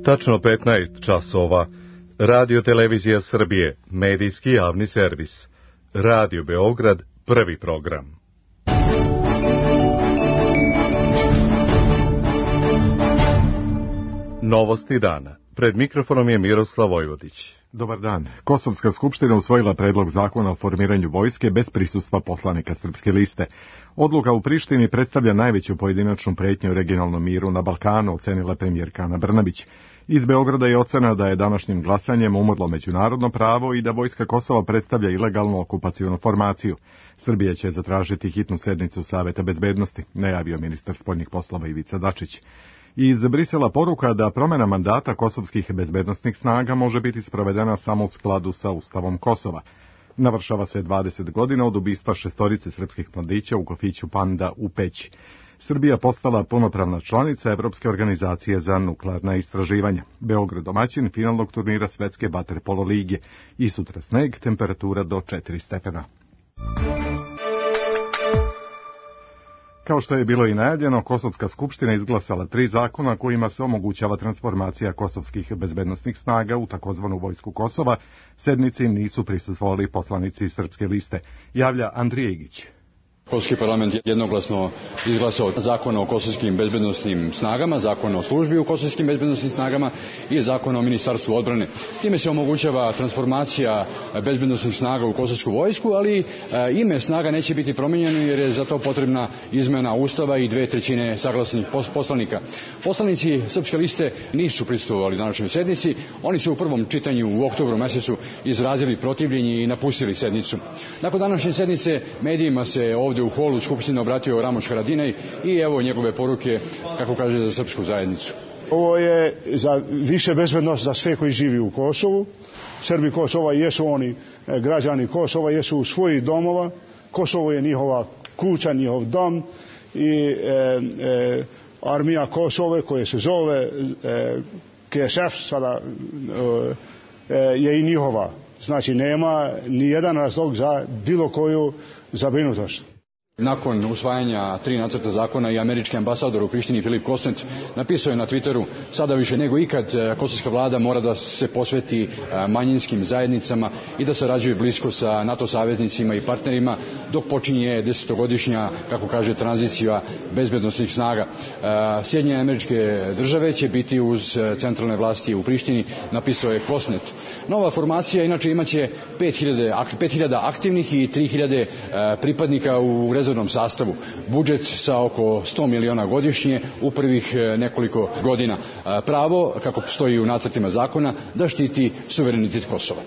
Tačno 15 časova. Radio Televizija Srbije, medijski javni servis. Radio Beograd, prvi program. Novosti dana. Pred mikrofonom je Miroslav Vojvodić. Dobar dan. Kosovska skupština usvojila predlog zakona o formiranju vojske bez prisustva poslanika Srpske liste. Odluka u Prištini predstavlja najveću pojedinačnu pretnju regionalnom miru na Balkanu, ocenila premijerka Ana Brnabić. Iz Beograda je ocena da je današnjim glasanjem umrlo međunarodno pravo i da vojska Kosova predstavlja ilegalnu okupacionu formaciju. Srbija će zatražiti hitnu sednicu Saveta bezbednosti, najavio ministar spoljnih poslova Ivica Dačić. Iz Brisela poruka da promjena mandata kosovskih bezbednosnih snaga može biti sprovedena samo u skladu sa Ustavom Kosova. Navršava se 20 godina od ubistva 6 srpskih mladića u kafiću Panda u Peći. Srbija postala punopravna članica Evropske organizacije za nuklearna istraživanja. Beograd domaćin finalnog turnira Svetske vaterpolo lige i sutra sneg, temperatura do 4 stepena. Kao što je bilo i najavljeno, Kosovska skupština izglasala 3 zakona kojima se omogućava transformacija kosovskih bezbednosnih snaga u takozvanu vojsku Kosova. Sednici nisu prisustvovali poslanici Srpske liste, javlja Andrija Igić. Kosovski parlament je jednoglasno izglasao zakon o kosovskim bezbednosnim snagama, zakon o službi u kosovskim bezbednosnim snagama i zakon o ministarstvu odbrane. Time se omogućava transformacija bezbednosnih snaga u kosovsku vojsku, ali ime snaga neće biti promijenjeno jer je za to potrebna izmena Ustava i 2/3 saglasnih poslanika. Poslanici Srpske liste nisu prisustvovali današnjoj sednici. Oni su u prvom čitanju u oktobru mjesecu izrazili protivljenje i napustili sednicu. Nakon današnje sednice medijima se ovdje u holu Skupštine obratio Ramoš Haradinaj i evo njegove poruke, kako kaže, za srpsku zajednicu. Ovo je za više bezbednost za sve koji živi u Kosovu. Srbi Kosova jesu oni građani Kosova, jesu u svojih domova. Kosovo je njihova kuća, njihov dom i armija Kosove koja se zove KSF sada je i njihova. Znači nema ni jedan razlog za bilo koju zabrinutost. Nakon usvajanja 3 nacrta zakona i američki ambasador u Prištini Filip Kostent napisao je na Twitteru: sada više nego ikad kosovska vlada mora da se posveti manjinskim zajednicama i da sarađuje blisko sa NATO saveznicima i partnerima dok počinje 10-godišnja, kako kaže, tranzicija bezbednosnih snaga. Sjedinjene Američke Države će biti uz centralne vlasti u Prištini, napisao je Kostent. Nova formacija inače imaće 5000 aktivnih i 3000 pripadnika u rezervnom sastavu. Budžet sa oko 100 miliona godišnje u prvih nekoliko godina. Pravo, kako stoji u nacrtima zakona, da štiti suverenitet Kosova.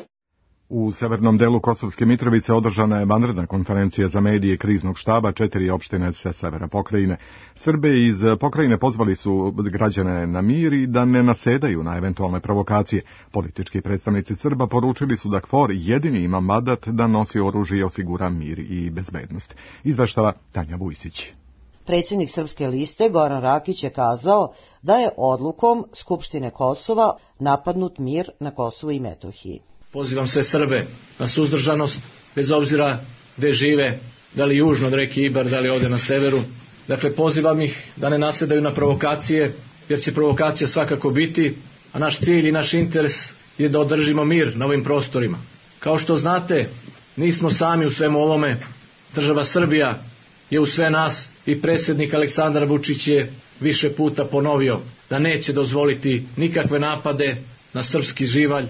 U severnom delu Kosovske Mitrovice održana je vanredna konferencija za medije kriznog štaba 4 opštine sa severa pokrajine. Srbe iz pokrajine pozvali su građane na mir i da ne nasedaju na eventualne provokacije. Politički predstavnici Srba poručili su da KFOR jedini ima mandat da nosi oružje i osigura mir i bezbednost. Izveštava Tanja Vujsić. Predsjednik Srpske liste Goran Rakić je kazao da je odlukom Skupštine Kosova napadnut mir na Kosovu i Metohiji. Pozivam sve Srbe na suzdržanost, bez obzira gde žive, da li južno od reke Ibar, da li ovdje na severu. Dakle, pozivam ih da ne nasedaju na provokacije, jer će provokacija svakako biti, a naš cilj i naš interes je da održimo mir na ovim prostorima. Kao što znate, nismo sami u svemu ovome. Država Srbija je u sve nas i predsjednik Aleksandar Vučić je više puta ponovio da neće dozvoliti nikakve napade na srpski živalj.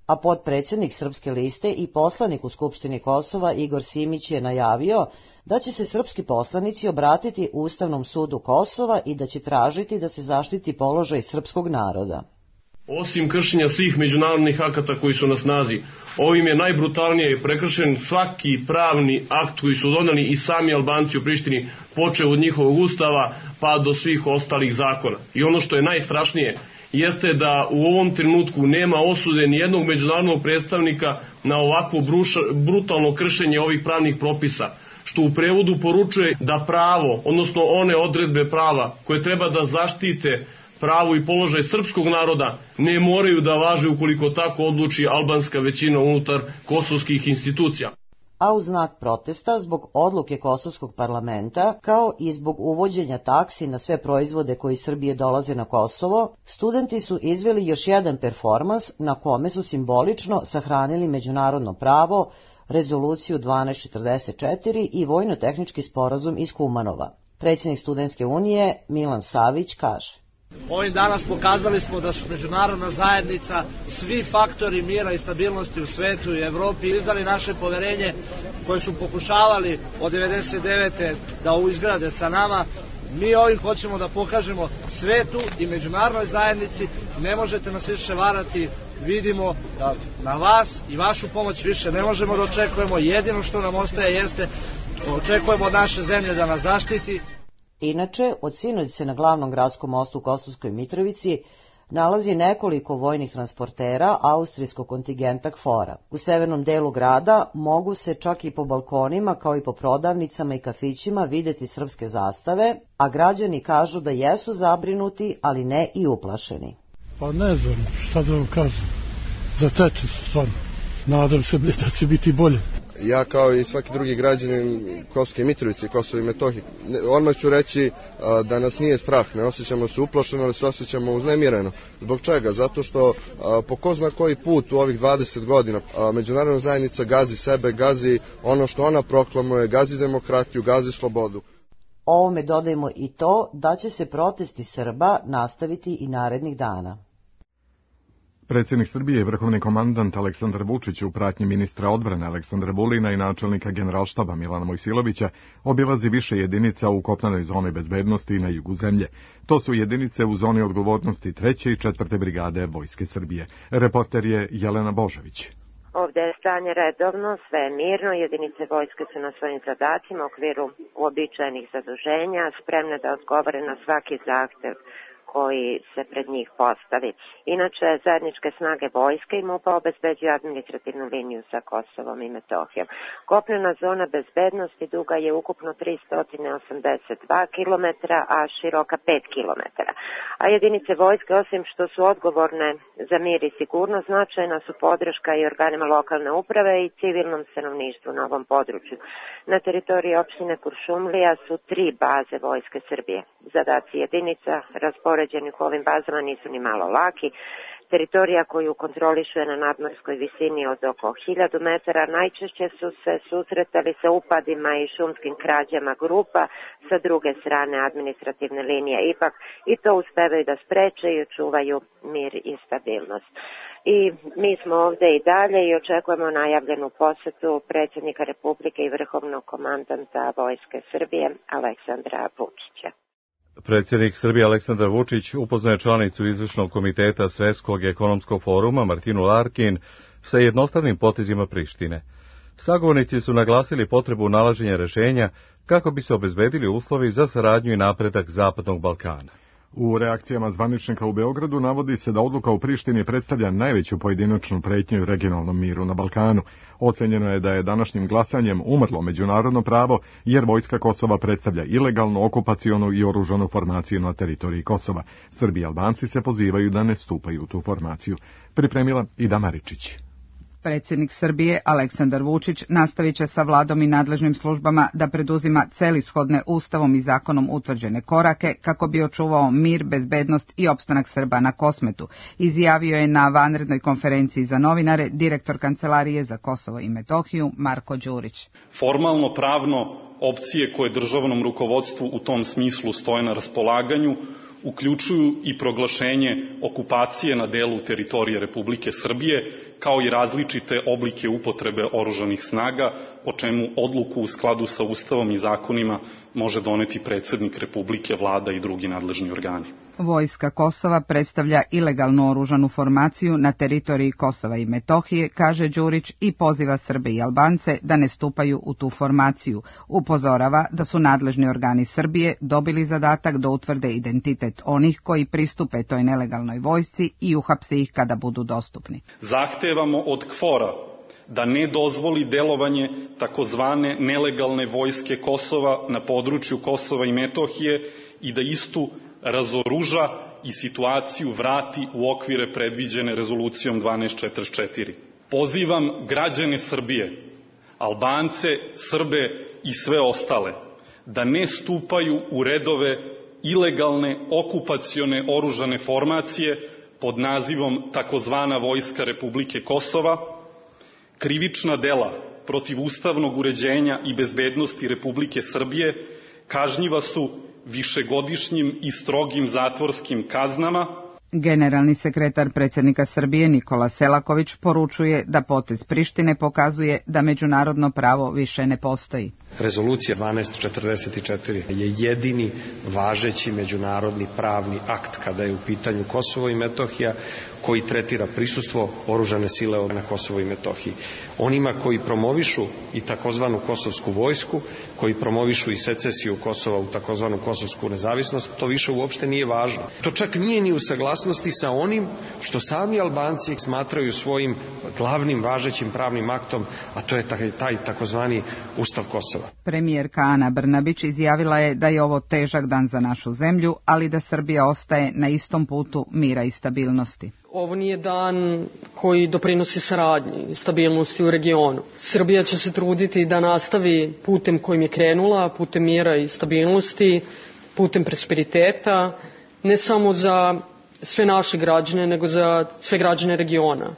A potpredsjednik Srpske liste i poslanik u Skupštini Kosova Igor Simić je najavio da će se srpski poslanici obratiti Ustavnom sudu Kosova i da će tražiti da se zaštiti položaj srpskog naroda. Osim kršenja svih međunarodnih akata koji su na snazi, ovim je najbrutalnije prekršen svaki pravni akt koji su doneli i sami Albanci u Prištini, počev od njihovog ustava pa do svih ostalih zakona. I ono što je najstrašnije jeste da u ovom trenutku nema osude ni jednog međunarodnog predstavnika na ovakvo brutalno kršenje ovih pravnih propisa, što u prevodu poručuje da pravo, odnosno one odredbe prava koje treba da zaštite pravo i položaj srpskog naroda, ne moraju da važe ukoliko tako odluči albanska većina unutar kosovskih institucija. a u znak protesta zbog odluke kosovskog parlamenta, kao i zbog uvođenja taksi na sve proizvode koji iz Srbije dolaze na Kosovo, studenti su izveli još jedan performans na kome su simbolično sahranili međunarodno pravo, rezoluciju 1244 i vojno-tehnički sporazum iz Kumanova. Predsjednik Studentske unije Milan Savić kaže: Ovim danas pokazali smo da su međunarodna zajednica, svi faktori mira i stabilnosti u svetu i Evropi izdali naše poverenje koje su pokušavali od 1999. da izgrade sa nama. Mi ovim hoćemo da pokažemo svetu i međunarodnoj zajednici, ne možete nas više varati, vidimo da na vas i vašu pomoć više ne možemo da očekujemo, jedino što nam ostaje jeste očekujemo od naše zemlje da nas zaštiti. Inače, od sinoć se na glavnom gradskom mostu u Kosovskoj Mitrovici nalazi nekoliko vojnih transportera austrijskog kontingenta KFOR-a. U severnom delu grada mogu se čak i po balkonima, kao i po prodavnicama i kafićima videti srpske zastave, a građani kažu da jesu zabrinuti, ali ne i uplašeni. Pa ne znam šta da vam kažem, zateče se stvarno, nadam se da će biti bolje. Ja kao i svaki drugi građanin Kosovske Mitrovice i Kosova i Metohije, odmah ću reći da nas nije strah, ne osjećamo se uplašeno, ali se osjećamo uznemireno. Zbog čega? Zato što po ko zna koji put u ovih 20 godina međunarodna zajednica gazi sebe, gazi ono što ona proklamuje, gazi demokratiju, gazi slobodu. Ovome dodajemo i to da će se protesti Srba nastaviti i narednih dana. Predsjednik Srbije i vrhovni komandant Aleksandar Vučić u pratnji ministra odbrane Aleksandra Vulina i načelnika generalštaba Milana Mojsilovića obilazi više jedinica u kopnenoj zoni bezbednosti na jugu zemlje. To su jedinice u zoni odgovornosti 3. i 4. brigade Vojske Srbije. Reporter je Jelena Božović. Ovdje je stanje redovno, sve je mirno, jedinice vojske su na svojim zadacima u okviru uobičajenih zaduženja, spremne da odgovore na svaki zahtev koji se pred njih postavi. Inače, zajedničke snage vojske i MUP-a obezbeđuju administrativnu liniju sa Kosovom i Metohijom. Kopnena zona bezbednosti duga je ukupno 382 km, a široka 5 km. A jedinice vojske, osim što su odgovorne za mir i sigurnost, značajna su podrška i organima lokalne uprave i civilnom stanovništvu na ovom području. Na teritoriji opštine Kuršumlija su 3 baze Vojske Srbije. Zadaci jedinica raspoređeni u ovim bazama nisu ni malo laki. Teritorija koju kontrolišu je na nadmorskoj visini od oko 1000 metara. Najčešće su se susretali sa upadima i šumskim krađama grupa sa druge strane administrativne linije. Ipak i to uspevaju da spreče i očuvaju mir i stabilnost. I mi smo ovdje i dalje i očekujemo najavljenu posetu predsjednika Republike i vrhovnog komandanta Vojske Srbije Aleksandra Vučića. Predsjednik Srbije Aleksandar Vučić upoznaje članicu izvršnog komiteta Svjetskog ekonomskog foruma Martinu Larkin sa jednostavnim potezima Prištine. Sagovornici su naglasili potrebu nalaženja rješenja kako bi se obezbedili uslovi za saradnju i napredak Zapadnog Balkana. U reakcijama zvaničnika u Beogradu navodi se da odluka u Prištini predstavlja najveću pojedinačnu pretnju u regionalnom miru na Balkanu. Ocenjeno je da je današnjim glasanjem umrlo međunarodno pravo, jer vojska Kosova predstavlja ilegalnu, okupacionu i oružanu formaciju na teritoriji Kosova. Srbi i Albanci se pozivaju da ne stupaju u tu formaciju. Pripremila Ida Maričić. Predsjednik Srbije Aleksandar Vučić nastavit će sa vladom i nadležnim službama da preduzima celishodne ustavom i zakonom utvrđene korake kako bi očuvao mir, bezbednost i opstanak Srba na Kosmetu, izjavio je na vanrednoj konferenciji za novinare direktor Kancelarije za Kosovo i Metohiju Marko Đurić. Formalno pravno opcije koje državnom rukovodstvu u tom smislu stoje na raspolaganju uključuju i proglašenje okupacije na delu teritorije Republike Srbije, kao i različite oblike upotrebe oružanih snaga, o čemu odluku u skladu sa Ustavom i zakonima može doneti predsjednik Republike, vlada i drugi nadležni organi. Vojska Kosova predstavlja ilegalnu oružanu formaciju na teritoriji Kosova i Metohije, kaže Đurić, i poziva Srbe i Albance da ne stupaju u tu formaciju. Upozorava da su nadležni organi Srbije dobili zadatak da utvrde identitet onih koji pristupe toj nelegalnoj vojsci i uhapse ih kada budu dostupni. Zahtevamo od KFOR-a da ne dozvoli delovanje takozvane nelegalne vojske Kosova na području Kosova i Metohije i da istu razoruža i situaciju vrati u okvire predviđene rezolucijom 1244. Pozivam građane Srbije Albance, Srbe i sve ostale, da ne stupaju u redove ilegalne okupacione oružane formacije pod nazivom takozvana Vojska Republike Kosova, krivična dela protiv ustavnog uređenja i bezbednosti Republike Srbije kažnjiva su višegodišnjim i strogim zatvorskim kaznama. Generalni sekretar predsjednika Srbije Nikola Selaković poručuje da potez Prištine pokazuje da međunarodno pravo više ne postoji. Rezolucija 1244 je jedini važeći međunarodni pravni akt kada je u pitanju Kosovo i Metohija koji tretira prisustvo oružane sile na Kosovo i Metohiji. Onima koji promovišu i takozvanu kosovsku vojsku, koji promovišu i secesiju Kosova u takozvanu kosovsku nezavisnost, to više uopšte nije važno. To čak nije ni u saglasnosti sa onim što sami Albanci smatraju svojim glavnim važećim pravnim aktom, a to je taj takozvani Ustav Kosova. Premijerka Ana Brnabić izjavila je da je ovo težak dan za našu zemlju, ali da Srbija ostaje na istom putu mira i stabilnosti. Ovo nije dan koji doprinosi saradnji i stabilnosti u regionu. Srbija će se truditi da nastavi putem kojim je krenula, putem mira i stabilnosti, putem prosperiteta, ne samo za sve naše građane, nego za sve građane regiona.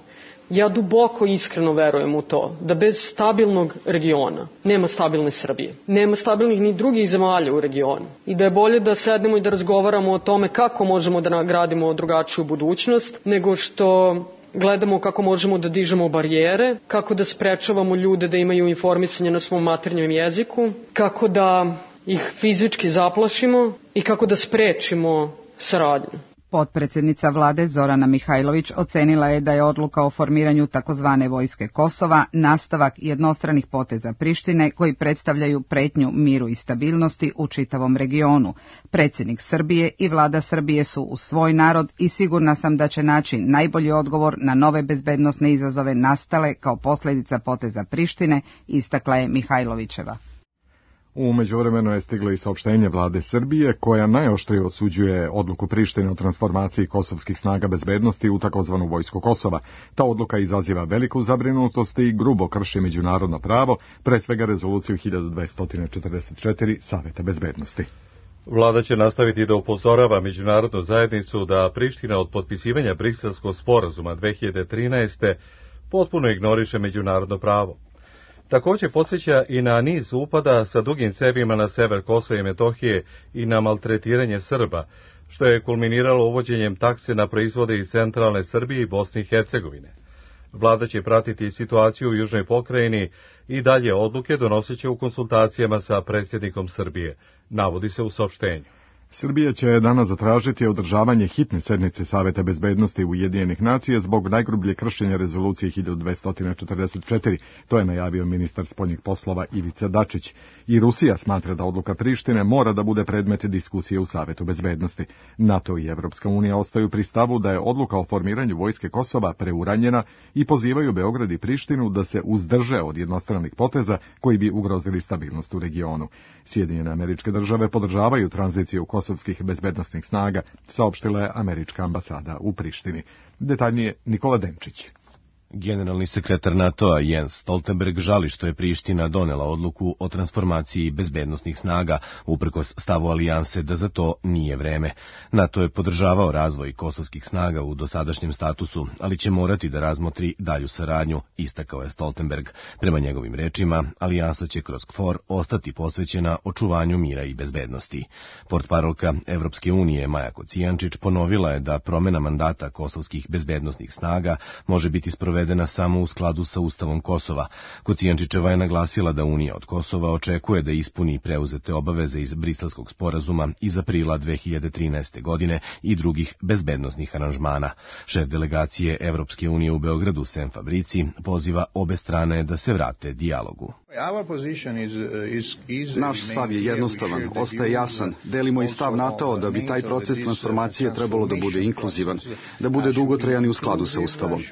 Ja duboko iskreno verujem u to da bez stabilnog regiona nema stabilne Srbije. Nema stabilnih ni drugih zemalja u regionu. I da je bolje da sednemo i da razgovaramo o tome kako možemo da nagradimo drugačiju budućnost, nego što gledamo kako možemo da dižemo barijere, kako da sprečavamo ljude da imaju informisanje na svom maternjem jeziku, kako da ih fizički zaplašimo i kako da sprečimo saradnju. Potpredsjednica vlade Zorana Mihajlović ocenila je da je odluka o formiranju takozvane Vojske Kosova nastavak jednostranih poteza Prištine koji predstavljaju pretnju miru i stabilnosti u čitavom regionu. Predsjednik Srbije i vlada Srbije su uz svoj narod i sigurna sam da će naći najbolji odgovor na nove bezbednosne izazove nastale kao posljedica poteza Prištine, istakla je Mihajlovićeva. U međuvremenu je stiglo i saopštenje vlade Srbije koja najoštrije osuđuje odluku Prištine o transformaciji kosovskih snaga bezbednosti u takozvanu Vojsku Kosova. Ta odluka izaziva veliku zabrinutost i grubo krši međunarodno pravo, pre svega rezoluciju 1244 Saveta bezbednosti. Vlada će nastaviti da upozorava međunarodnu zajednicu da Priština od potpisivanja Briselskog sporazuma 2013. potpuno ignoriše međunarodno pravo. Također podsjeća i na niz upada sa dugim cevima na sever Kosova i Metohije i na maltretiranje Srba, što je kulminiralo uvođenjem takse na proizvode iz centralne Srbije i Bosne i Hercegovine. Vlada će pratiti situaciju u Južnoj pokrajini i dalje odluke donoseće u konsultacijama sa predsjednikom Srbije, navodi se u saopštenju. Srbija će danas zatražiti održavanje hitne sednice Saveta bezbednosti Ujedinjenih nacija zbog najgrublje kršenja rezolucije 1244. To je najavio ministar spoljnih poslova Ivica Dačić. I Rusija smatra da odluka Prištine mora da bude predmet diskusije u Savetu bezbednosti. NATO i Evropska unija ostaju pri stavu da je odluka o formiranju Vojske Kosova preuranjena i pozivaju Beograd i Prištinu da se uzdrže od jednostranih poteza koji bi ugrozili stabilnost u regionu. Sjedinjene Američke Države podržavaju tranziciju kosovskih bezbednosnih snaga, saopštila je američka ambasada u Prištini. Detaljnije Nikola Denčić. Generalni sekretar NATO-a Jens Stoltenberg žali što je Priština donela odluku o transformaciji bezbednosnih snaga, uprkos stavu alijanse da za to nije vreme. NATO je podržavao razvoj kosovskih snaga u dosadašnjem statusu, ali će morati da razmotri dalju saradnju, istakao je Stoltenberg. Prema njegovim rečima, alijansa će kroz KFOR ostati posvećena očuvanju mira i bezbednosti. Portparolka Evropske unije Maja Kocijančić ponovila je da promena mandata kosovskih bezbednosnih snaga može biti sprovedena samo u skladu sa Ustavom Kosova. Kocijančićeva je naglasila da Unija od Kosova očekuje da ispuni preuzete obaveze iz Briselskog sporazuma iz aprila 2013. godine i drugih bezbednosnih aranžmana. Šef delegacije Evropske unije u Beogradu Sem Fabrici poziva obe strane da se vrate dijalogu. Naš stav je jednostavan, ostaje jasan. Delimo i stav NATO da bi taj proces transformacije trebalo da bude inkluzivan, da bude dugotrajan i u skladu sa Ustavom.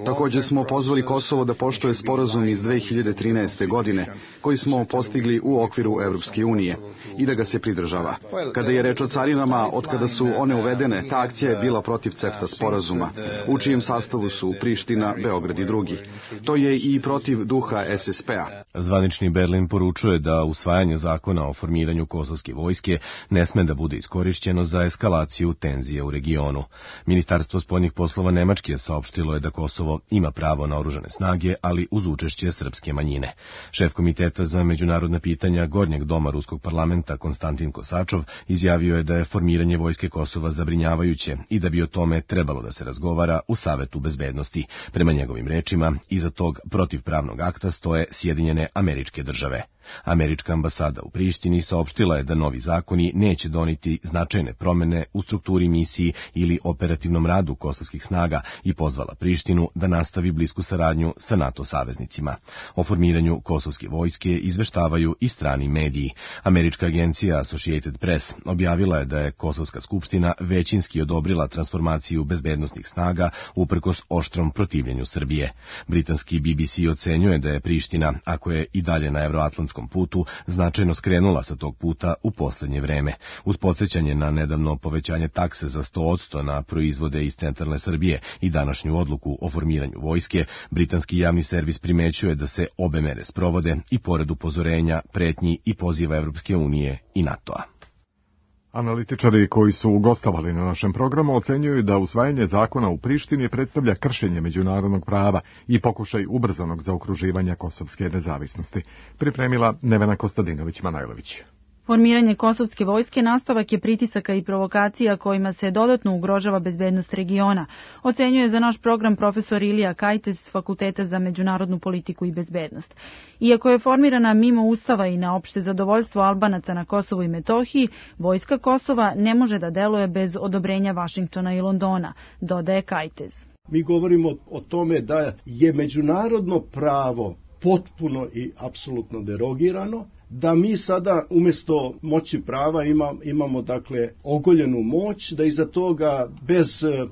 Također smo pozvali Kosovo da poštuje sporazum iz 2013. godine, koji smo postigli u okviru Evropske unije, i da ga se pridržava. Kada je reč o carinama, od kada su one uvedene, ta akcija je bila protiv CEFTA sporazuma, u čijem sastavu su Priština, Beograd i drugi. To je i protiv duha SSP-a. Zvanični Berlin poručuje da usvajanje zakona o formiranju kosovske vojske ne sme da bude iskorišćeno za eskalaciju tenzije u regionu. Ministarstvo spoljnih poslova Nemačke saopštilo je da Kosovo ima pravo na oružane snage, ali uz učešće srpske manjine. Šef Komiteta za međunarodna pitanja Gornjeg doma Ruskog parlamenta Konstantin Kosačov izjavio je da je formiranje vojske Kosova zabrinjavajuće i da bi o tome trebalo da se razgovara u Savetu bezbednosti. Prema njegovim rečima, iza tog protivpravnog akta stoje Sjedinjene Američke Države. Američka ambasada u Prištini saopštila je da novi zakoni neće doneti značajne promene u strukturi misiji ili operativnom radu kosovskih snaga i pozvala Prištinu da nastavi blisku saradnju sa NATO saveznicima. O formiranju kosovske vojske izveštavaju i strani mediji. Američka agencija Associated Press objavila je da je Kosovska skupština većinski odobrila transformaciju bezbednosnih snaga uprkos oštrom protivljenju Srbije. Britanski BBC ocenjuje da je Priština, ako je i dalje na evroatlantskom putu, značajno skrenula sa tog puta u poslednje vreme. Uz podsjećanje na nedavno povećanje takse za 100% na proizvode iz centralne Srbije i današnju odluku o formiranju vojske, britanski javni servis primećuje da se obe mere sprovode i pored upozorenja, pretnji i poziva Evropske unije i NATO-a. Analitičari koji su gostovali na našem programu ocenjuju da usvajanje zakona u Prištini predstavlja kršenje međunarodnog prava i pokušaj ubrzanog zaokruživanja kosovske nezavisnosti. Pripremila Nevena Kostadinović-Manajlović. Formiranje kosovske vojske nastavak je pritisaka i provokacija kojima se dodatno ugrožava bezbednost regiona, ocenjuje za naš program profesor Ilija Kajtes s Fakulteta za međunarodnu politiku i bezbednost. Iako je formirana mimo Ustava i na opšte zadovoljstvo Albanaca na Kosovu i Metohiji, vojska Kosova ne može da deluje bez odobrenja Vašingtona i Londona, dodaje Kajtes. Mi govorimo o tome da je međunarodno pravo potpuno i apsolutno derogirano, da mi sada umjesto moći prava imamo dakle ogoljenu moć, da iza toga bez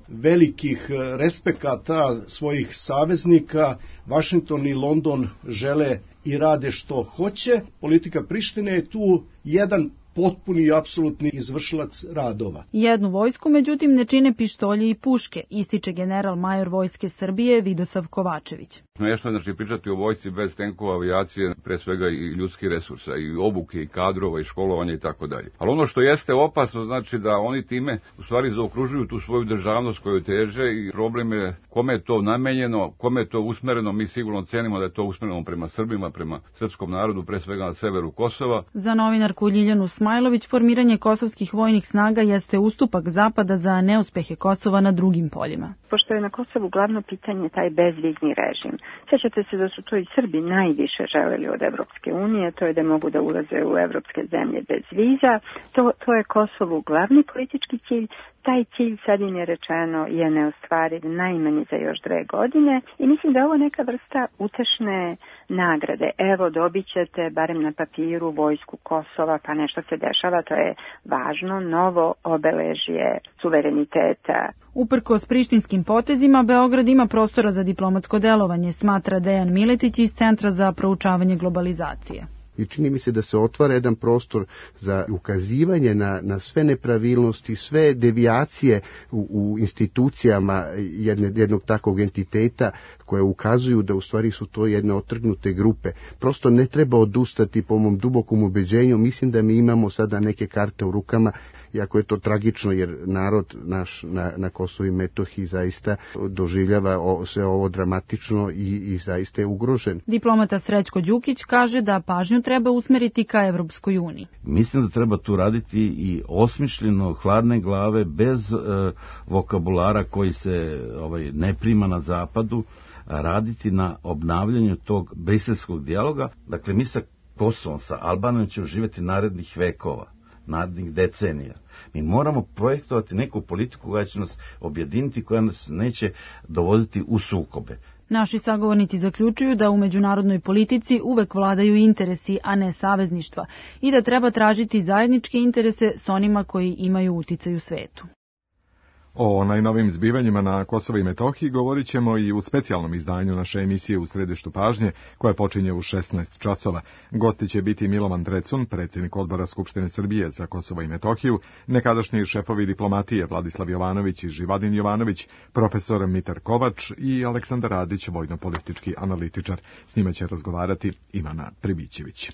velikih respekata svojih saveznika Vašington i London žele i rade što hoće. Politika Prištine je tu jedan potpuni i apsolutni izvršilac radova. Jednu vojsku, međutim, ne čine pištolji i puške, ističe general major Vojske Srbije Vidosav Kovačević. Nešto je znači pričati o vojsci bez tenkova, avijacije, pre svega i ljudskih resursa, i obuke, i kadrova, i školovanja i tako dalje. Ali ono što jeste opasno, znači da oni time u stvari zaokružuju tu svoju državnost koju teže i problem je kome je to namenjeno, kome je to usmereno. Mi sigurno cenimo da je to usmereno prema Srbima, prema srpskom narodu, pre svega na severu Kosova. Za novinarku Ljiljanu Smajlović, formiranje kosovskih vojnih snaga jeste ustupak Zapada za neuspehe Kosova na drugim poljima. Pošto je na Kosovu glavno pitanje taj bezvizni režim. Sjećate se da su to i Srbi najviše želeli od Evropske unije, to je da mogu da ulaze u evropske zemlje bez viza. To je Kosovu glavni politički cilj. Taj cilj, sad im je rečeno, je neostvariv najmanje za još 2 godine i mislim da je ovo neka vrsta utešne nagrade. Evo, dobit ćete, barem na papiru, vojsku Kosova, pa nešto se dešava, to je važno, novo obeležje suvereniteta. Uprkos prištinskim potezima, Beograd ima prostora za diplomatsko delovanje, smatra Dejan Miletić iz Centra za proučavanje globalizacije. I čini mi se da se otvara jedan prostor za ukazivanje na sve nepravilnosti, sve devijacije u institucijama jednog takvog entiteta koje ukazuju da u stvari su to jedne otrgnute grupe. Prosto ne treba odustati, po mom dubokom ubeđenju. Mislim da mi imamo sada neke karte u rukama, iako je to tragično jer narod naš na Kosovu i Metohiji zaista doživljava sve ovo dramatično i zaista je ugrožen. Diplomata Srećko Đukić kaže da pažnju treba usmeriti ka Evropskoj uniji. Mislim da treba tu raditi i osmišljeno, hladne glave, bez vokabulara koji se ne prima na zapadu, raditi na obnavljanju tog briselskog dijaloga. Dakle, mi sa Kosovom, sa Albanijom ćemo živjeti narednih vekova, narednih decenija. Mi moramo projektovati neku politiku koja će nas objediniti, koja nas neće dovoditi u sukobe. Naši sagovornici zaključuju da u međunarodnoj politici uvek vladaju interesi, a ne savezništva, i da treba tražiti zajedničke interese s onima koji imaju uticaj u svetu. O najnovim zbivanjima na Kosovu i Metohiji govorit ćemo i u specijalnom izdanju naše emisije U središtu pažnje, koja počinje u 16 časova. Gosti će biti Milovan Drecun, predsjednik odbora Skupštine Srbije za Kosovo i Metohiju, nekadašnji šefovi diplomatije Vladislav Jovanović i Živadin Jovanović, profesor Mitar Kovač i Aleksandar Radić, vojno-politički analitičar. S njima će razgovarati Ivana Pribićević.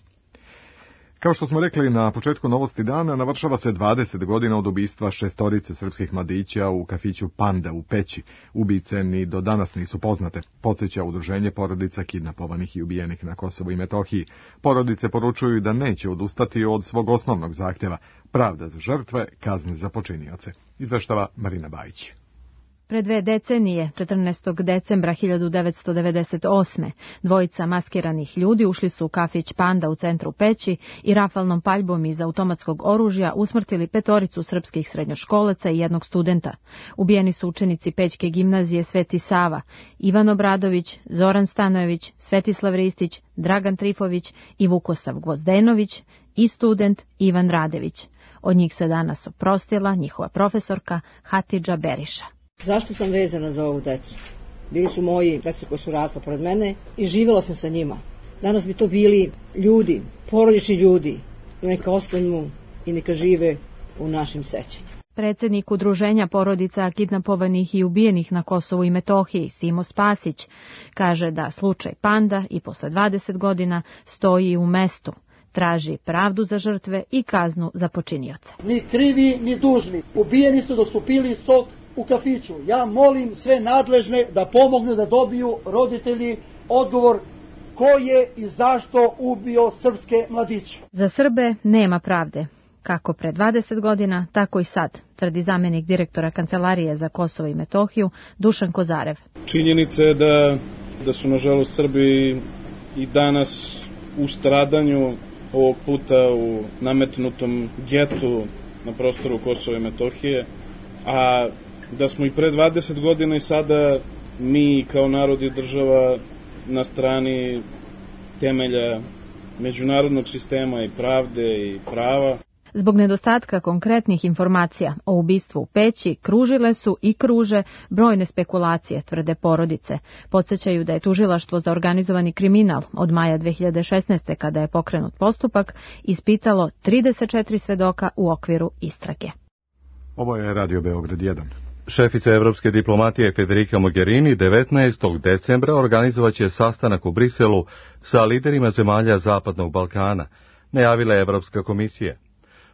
Kao što smo rekli na početku novosti dana, navršava se 20 godina od ubistva 6 srpskih mladića u kafiću Panda u Peći. Ubice ni do danas nisu poznate, podsjeća Udruženje porodica kidnapovanih i ubijenih na Kosovu i Metohiji. Porodice poručuju da neće odustati od svog osnovnog zahtjeva, pravda za žrtve, kazne za počinioce. Izveštava Marina Bajić. Pre 2 decenije, 14. decembra 1998. dvojica maskiranih ljudi ušli su u kafić Panda u centru Peći i rafalnom paljbom iz automatskog oružja usmrtili 5 srpskih srednjoškolaca i 1 studenta. Ubijeni su učenici Pećke gimnazije Sveti Sava, Ivan Obradović, Zoran Stanojević, Svetislav Ristić, Dragan Trifović i Vukosav Gvozdenović i student Ivan Radević. Od njih se danas oprostila njihova profesorka Hatidža Beriša. Zašto sam vezana za ovu decu? Bili su moji deca koji su rasla pored mene i živjela sam sa njima. Danas bi to bili ljudi, porodični ljudi, neka ostanu i neka žive u našim sećanju. Predsjednik Udruženja porodica kidnapovanih i ubijenih na Kosovu i Metohiji, Simo Spasić, kaže da slučaj Panda i posle 20 godina stoji u mestu. Traži pravdu za žrtve i kaznu za počinioce. Ni krivi, ni dužni. Ubijeni su dok su pili sok u kafiću. Ja molim sve nadležne da pomognu da dobiju roditelji odgovor ko je i zašto ubio srpske mladiće. Za Srbe nema pravde. Kako pre 20 godina, tako i sad, tvrdi zamjenik direktora Kancelarije za Kosovo i Metohiju Dušan Kozarev. Činjenica je da su nažalost Srbi i danas u stradanju, ovog puta u nametnutom getu na prostoru Kosova i Metohije, a da smo i pre 20 godina i sada mi kao narod i država na strani temelja međunarodnog sistema i pravde i prava. Zbog nedostatka konkretnih informacija o ubistvu u Peći kružile su i kruže brojne spekulacije, tvrde porodice. Podsjećaju da je tužilaštvo za organizovani kriminal od maja 2016. kada je pokrenut postupak ispitalo 34 svedoka u okviru istrage. Ovo je Radio Beograd 1. Šefica evropske diplomatije Federica Mogherini 19. decembra organizovaće sastanak u Briselu sa liderima zemalja Zapadnog Balkana, najavila je Evropska komisija.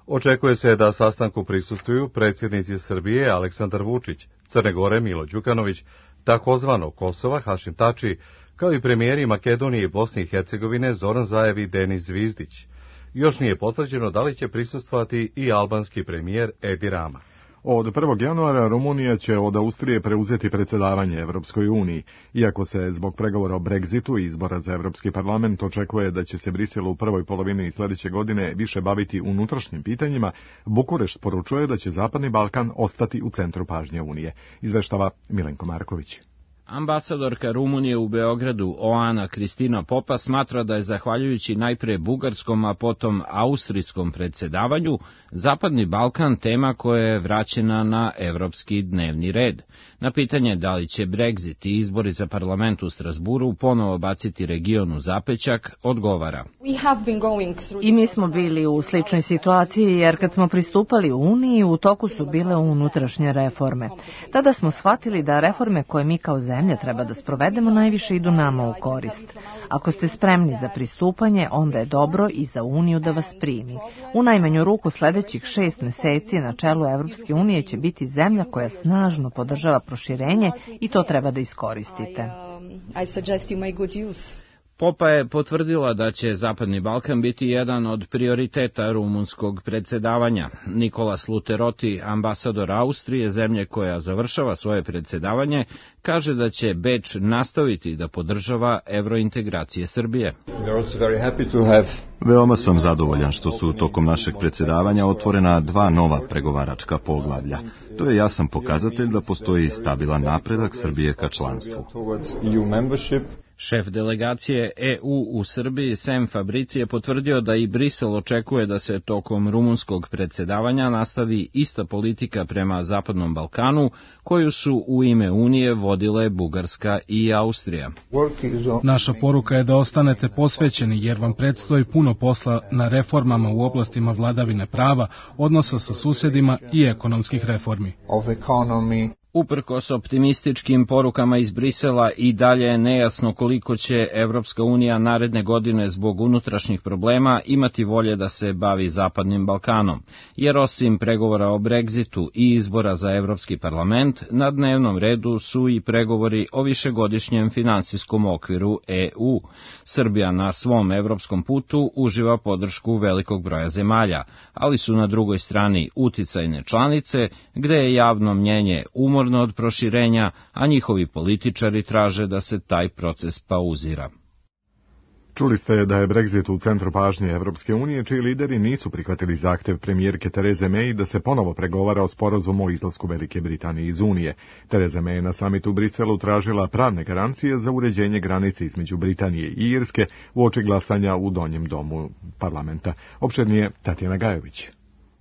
Očekuje se da sastanku prisustvuju predsjednici Srbije Aleksandar Vučić, Crne Gore Milo Đukanović, takozvanog Kosova Hašim Tači, kao i premijeri Makedonije i Bosne i Hercegovine Zoran Zaev i Denis Zvizdić. Još nije potvrđeno da li će prisustvovati i albanski premijer Edi Rama. Od 1. januara Rumunija će od Austrije preuzeti predsjedavanje Evropskoj uniji. Iako se zbog pregovora o Brexitu i izbora za Evropski parlament očekuje da će se Brisel u prvoj polovini sljedeće godine više baviti unutrašnjim pitanjima, Bukurešt poručuje da će Zapadni Balkan ostati u centru pažnje Unije. Izveštava Milenko Marković. Ambasadorka Rumunije u Beogradu Oana Kristina Popa smatra da je zahvaljujući najpre bugarskom, a potom austrijskom predsjedavanju, Zapadni Balkan tema koja je vraćena na evropski dnevni red. Na pitanje da li će Brexit i izbori za parlament u Strasburu ponovo baciti region u zapećak, odgovara. I mi smo bili u sličnoj situaciji jer kad smo pristupali u Uniji u toku su bile unutrašnje reforme. Tada smo shvatili da reforme koje mi kao zemlja treba da sprovedemo najviše idu nama u korist. Ako ste spremni za pristupanje, onda je dobro i za Uniju da vas primi. U najmanju ruku sljedećih 6 meseci na čelu Evropske unije će biti zemlja koja snažno podržava proširenje i to treba da iskoristite. Popa je potvrdila da će Zapadni Balkan biti jedan od prioriteta rumunskog predsjedavanja. Nikolas Luteroti, ambasador Austrije, zemlje koja završava svoje predsjedavanje, kaže da će Beč nastaviti da podržava evrointegracije Srbije. Veoma sam zadovoljan što su tokom našeg predsjedavanja otvorena 2 nova pregovaračka poglavlja. To je jasan pokazatelj da postoji stabilan napredak Srbije ka članstvu. Šef delegacije EU u Srbiji Sem Fabrici je potvrdio da i Brisel očekuje da se tokom rumunskog predsjedavanja nastavi ista politika prema Zapadnom Balkanu koju su u ime Unije vodile Bugarska i Austrija. Naša poruka je da ostanete posvećeni jer vam predstoji puno posla na reformama u oblastima vladavine prava, odnosa sa susjedima i ekonomskih reformi. Uprkos optimističkim porukama iz Brisela i dalje je nejasno koliko će Evropska unija naredne godine zbog unutrašnjih problema imati volje da se bavi Zapadnim Balkanom, jer osim pregovora o Brexitu i izbora za Evropski parlament, na dnevnom redu su i pregovori o višegodišnjem finansijskom okviru EU. Srbija na svom evropskom putu uživa podršku velikog broja zemalja, ali su na drugoj strani uticajne članice, gde je javno mnjenje umorno od proširenja, a njihovi političari traže da se taj proces pauzira. Čuli ste da je Brexit u centru pažnje Evropske unije, čiji lideri nisu prihvatili zahtev premijerke Tereze May da se ponovo pregovara o sporazumu o izlasku Velike Britanije iz Unije. Tereza May na samitu u Briselu tražila pravne garancije za uređenje granice između Britanije i Irske uoči glasanja u donjem domu parlamenta. Opširnije Tatjana Gajović.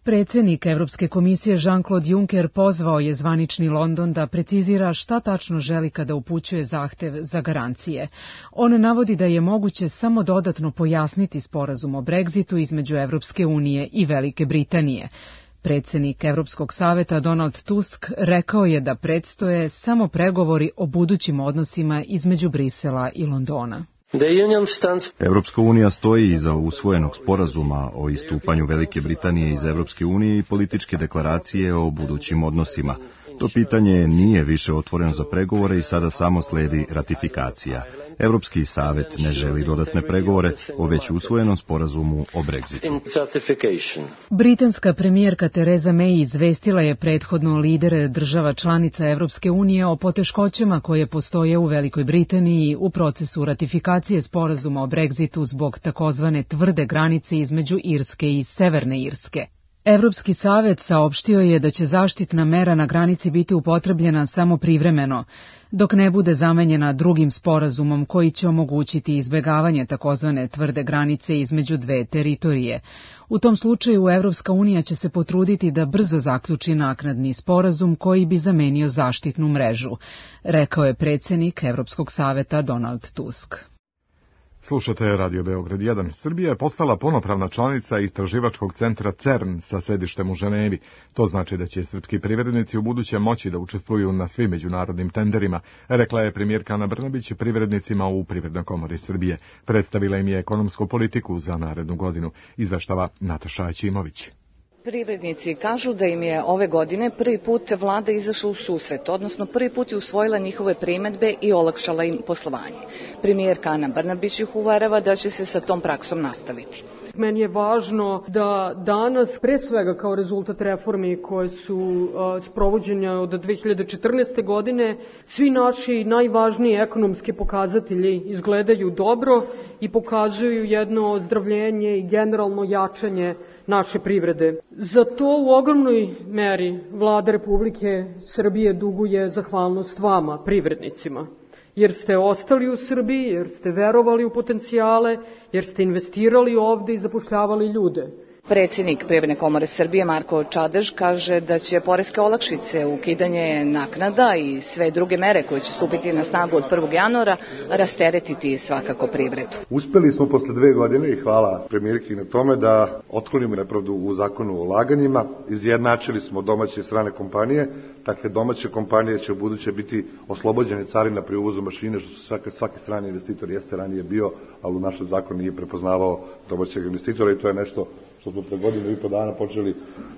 Predsjednik Evropske komisije Jean-Claude Juncker pozvao je zvanični London da precizira šta tačno želi kada upućuje zahtev za garancije. On navodi da je moguće samo dodatno pojasniti sporazum o Brexitu između Evropske unije i Velike Britanije. Predsjednik Evropskog saveta Donald Tusk rekao je da predstoje samo pregovori o budućim odnosima između Brisela i Londona. Evropska unija stoji iza usvojenog sporazuma o istupanju Velike Britanije iz Evropske unije i političke deklaracije o budućim odnosima. To pitanje nije više otvoreno za pregovore i sada samo sledi ratifikacija. Evropski savet ne želi dodatne pregovore o već usvojenom sporazumu o Brexitu. Britanska premijerka Tereza May izvestila je prethodno lidere država članica Evropske unije o poteškoćama koje postoje u Velikoj Britaniji u procesu ratifikacije sporazuma o Brexitu zbog takozvane tvrde granice između Irske i Severne Irske. Evropski savet saopštio je da će zaštitna mera na granici biti upotrebljena samo privremeno, dok ne bude zamenjena drugim sporazumom koji će omogućiti izbjegavanje takozvane tvrde granice između dve teritorije. U tom slučaju Evropska unija će se potruditi da brzo zaključi naknadni sporazum koji bi zamenio zaštitnu mrežu, rekao je predsjednik Evropskog saveta Donald Tusk. Slušate Radio Beograd 1. Srbija je postala punopravna članica istraživačkog centra CERN sa sedištem u Ženevi. To znači da će srpski privrednici u buduće moći da učestvuju na svim međunarodnim tenderima, rekla je premijerka Ana Brnabić privrednicima u Privrednoj komori Srbije. Predstavila im je ekonomsku politiku za narednu godinu, izveštava Nataša Aćimović. Privrednici kažu da im je ove godine prvi put vlada izašla u susret, odnosno prvi put je usvojila njihove primedbe i olakšala im poslovanje. Premijerka Ana Brnabić ih uverava da će se sa tom praksom nastaviti. Meni je važno da danas, pre svega kao rezultat reformi koje su sprovođene od 2014. godine, svi naši najvažniji ekonomski pokazatelji izgledaju dobro i pokazuju jedno ozdravljenje i generalno jačanje naše privrede. Za to u ogromnoj meri Vlada Republike Srbije duguje zahvalnost vama, privrednicima, jer ste ostali u Srbiji, jer ste verovali u potencijale, jer ste investirali ovde i zapošljavali ljude. Predsjednik Privredne komore Srbije Marko Čadež kaže da će poreske olakšice, ukidanje naknada i sve druge mere koje će stupiti na snagu od 1. januara rasteretiti svakako privredu. Uspeli smo posle 2 godine i hvala premijerki na tome da otklonimo nepravdu u zakonu o ulaganjima, izjednačili smo domaće i strane kompanije, dakle domaće kompanije će u buduće biti oslobođene carina pri uvozu mašine, što svaki strani investitor jeste ranije bio, ali u našem zakonu nije prepoznavao domaćeg investitora i to je nešto što smo pre godinu i po dana počeli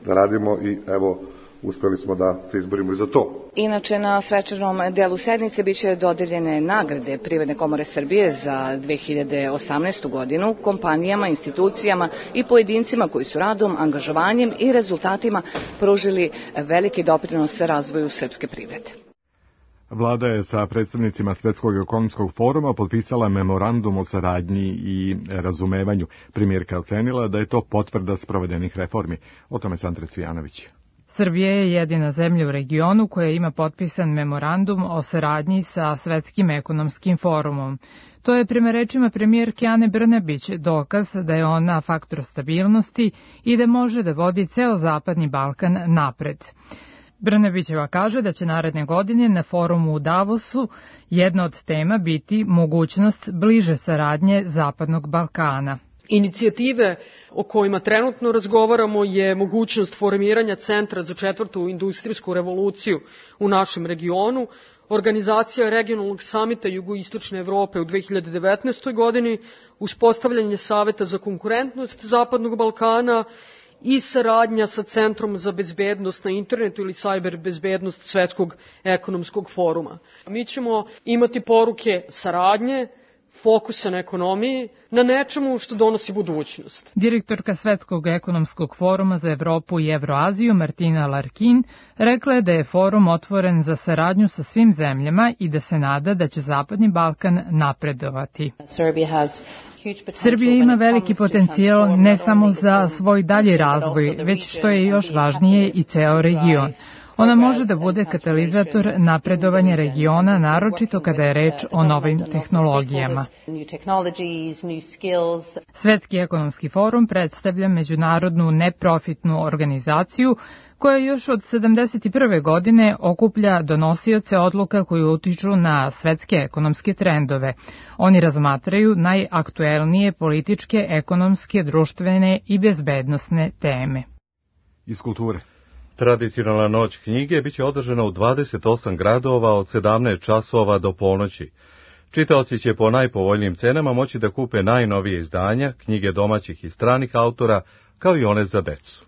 da radimo i evo uspeli smo da se izborimo i za to. Inače, na svečanom delu sednice biće dodeljene nagrade Privredne komore Srbije za 2018. godinu kompanijama, institucijama i pojedincima koji su radom, angažovanjem i rezultatima pružili veliki doprinos razvoju srpske privrede. Vlada je sa predstavnicima Svetskog ekonomskog foruma potpisala memorandum o saradnji i razumevanju. Premijerka ocenila da je to potvrda sprovedenih reformi. O tome Sandra Cvijanović. Srbija je jedina zemlja u regionu koja ima potpisan memorandum o saradnji sa Svetskim ekonomskim forumom. To je prema rečima premijerke Ane Brnabić dokaz da je ona faktor stabilnosti i da može da vodi ceo Zapadni Balkan napred. Brnabićeva kaže da će naredne godine na forumu u Davosu jedna od tema biti mogućnost bliže saradnje Zapadnog Balkana. Inicijative o kojima trenutno razgovaramo je mogućnost formiranja Centra za 4. industrijsku revoluciju u našem regionu, organizacija regionalnog samita Jugoistočne Evrope u 2019. godini, uspostavljanje Saveta za konkurentnost Zapadnog Balkana i saradnja sa Centrom za bezbednost na internetu ili cyber bezbednost Svetskog ekonomskog foruma. Mi ćemo imati poruke saradnje, fokusa na ekonomiji, na nečemu što donosi budućnost. Direktorka Svetskog ekonomskog foruma za Evropu i Evroaziju Martina Larkin rekla je da je forum otvoren za saradnju sa svim zemljama i da se nada da će Zapadni Balkan napredovati. Srbija ima veliki potencijal ne samo za svoj dalji razvoj, već što je još važnije i ceo region. Ona može da bude katalizator napredovanja regiona, naročito kada je reč o novim tehnologijama. Svetski ekonomski forum predstavlja međunarodnu neprofitnu organizaciju koja još od 1971. godine okuplja donosioce odluka koji utiču na svetske ekonomske trendove. Oni razmatraju najaktuelnije političke, ekonomske, društvene i bezbednosne teme. Iz kulture. Tradicionalna noć knjige biće održana u 28 gradova od 17 časova do ponoći. Čitaoci će po najpovoljnijim cenama moći da kupe najnovije izdanja, knjige domaćih i stranih autora, kao i one za decu.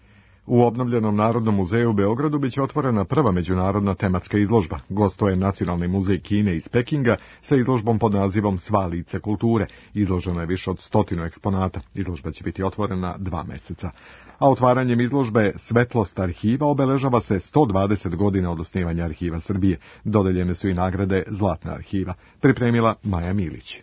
U obnovljenom Narodnom muzeju u Beogradu biće otvorena prva međunarodna tematska izložba. Gostuje Nacionalni muzej Kine iz Pekinga sa izložbom pod nazivom Sva lice kulture. Izloženo je više od 100 eksponata. Izložba će biti otvorena 2 meseca. A otvaranjem izložbe Svetlost arhiva obeležava se 120 godina od osnivanja Arhiva Srbije. Dodeljene su i nagrade Zlatna arhiva. Pripremila Maja Milić.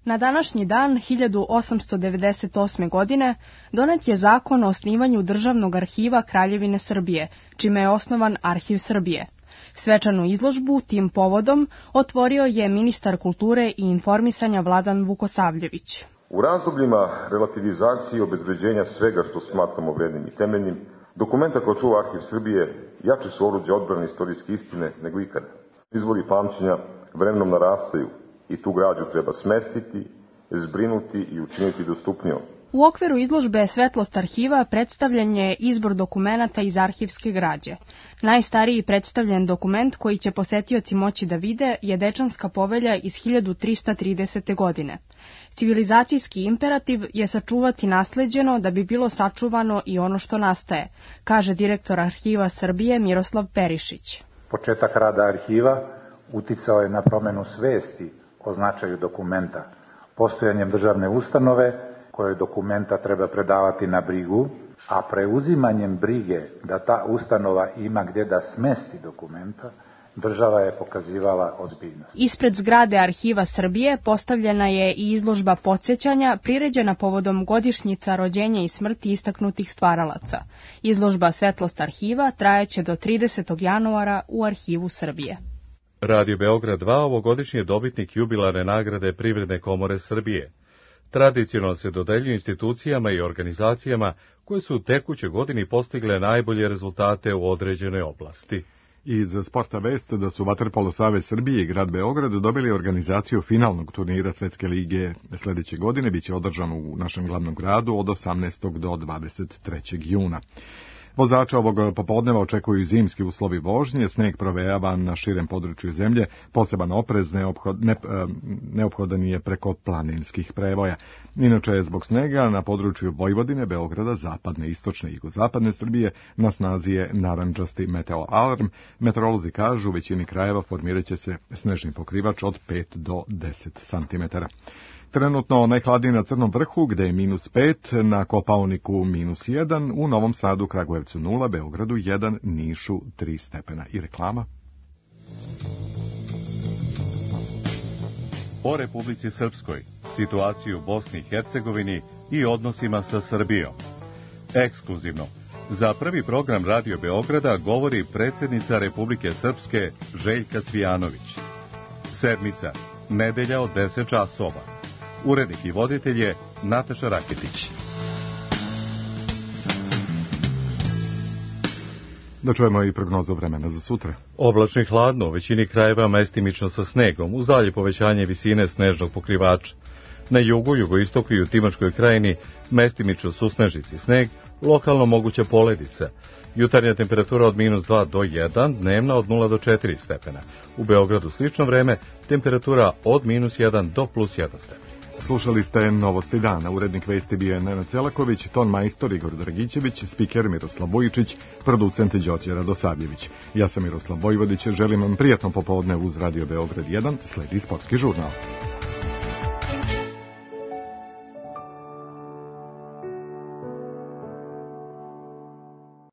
Na današnji dan 1898. godine donet je zakon o osnivanju Državnog arhiva Kraljevine Srbije, čime je osnovan Arhiv Srbije. Svečanu izložbu tim povodom otvorio je ministar kulture i informisanja Vladan Vukosavljević. U razdobljima relativizacije i obezbeđenja svega što smatramo vrednim i temeljnim, dokumenta koja čuva Arhiv Srbije jače su oruđe odbrane istorijske istine nego ikada. Izvori pamćenja vremenom narastaju i tu građu treba smestiti, zbrinuti i učiniti dostupnijom. U okviru izložbe Svetlost arhiva predstavljen je izbor dokumenata iz arhivske građe. Najstariji predstavljen dokument koji će posetioci moći da vide je Dečanska povelja iz 1330. godine. Civilizacijski imperativ je sačuvati nasleđeno da bi bilo sačuvano i ono što nastaje, kaže direktor Arhiva Srbije Miroslav Perišić. Početak rada arhiva uticao je na promenu svesti o značaju dokumenta. Postojanjem državne ustanove koje dokumenta treba predavati na brigu, a preuzimanjem brige da ta ustanova ima gdje da smesti dokumenta, država je pokazivala ozbiljnost. Ispred zgrade Arhiva Srbije postavljena je i izložba podsjećanja priređena povodom godišnjica rođenja i smrti istaknutih stvaralaca. Izložba Svetlost arhiva trajeće do 30. januara u Arhivu Srbije. Radio Beograd 2 ovogodišnji je dobitnik jubilarne nagrade Privredne komore Srbije. Tradicionalno se dodeljuju institucijama i organizacijama koje su u tekućoj godini postigle najbolje rezultate u određenoj oblasti. Iz sporta vest da su Vaterpolo savez Srbije i grad Beograd dobili organizaciju finalnog turnira Svetske lige sljedeće godine, biće održan u našem glavnom gradu od 18. do 23. juna. Vozača ovog popodneva očekuju zimski uslovi vožnje, sneg provejava na širem području zemlje, poseban oprez neophodan je preko planinskih prevoja. Inače, zbog snega na području Vojvodine, Beograda, zapadne, istočne i jugozapadne Srbije na snazi je narandžasti meteo alarm. Meteorolozi kažu u većini krajeva formirat će se snežni pokrivač od 5 do 10 cm. Trenutno najhladnije na Crnom vrhu, gde je -5, na Kopaoniku -1, u Novom Sadu, Kragujevcu 0, Beogradu 1, Nišu 3 stepena. I reklama. O Republici Srpskoj, situaciju u Bosni i Hercegovini i odnosima sa Srbijom. Ekskluzivno, za prvi program Radio Beograda govori predsjednica Republike Srpske Željka Cvijanović. Sedmica, nedelja od 10 časova. Urednik i voditelj je Nataša Raketić. Da čujemo i prognozu vremena za sutra. Oblačno i hladno, u većini krajeva mestimično sa snegom, uz dalje povećanje visine snežnog pokrivača. Na jugu, jugoistoku i u Timočkoj krajini mestimično su snežici sneg, lokalno moguća poledica. Jutarnja temperatura od -2 do 1, dnevna od 0 do 4 stepena. U Beogradu slično vreme, temperatura od -1 do +1 stepen. Slušali ste Novosti dana. Urednik vesti bio je Nenad Celaković, ton majstor Igor Dragićević, spiker Miroslav Vujičić, producent Đorđe Radosavljević. Ja sam Miroslav Vojvodić, želim vam prijatno popodne uz Radio Beograd 1, sledi sportski žurnal.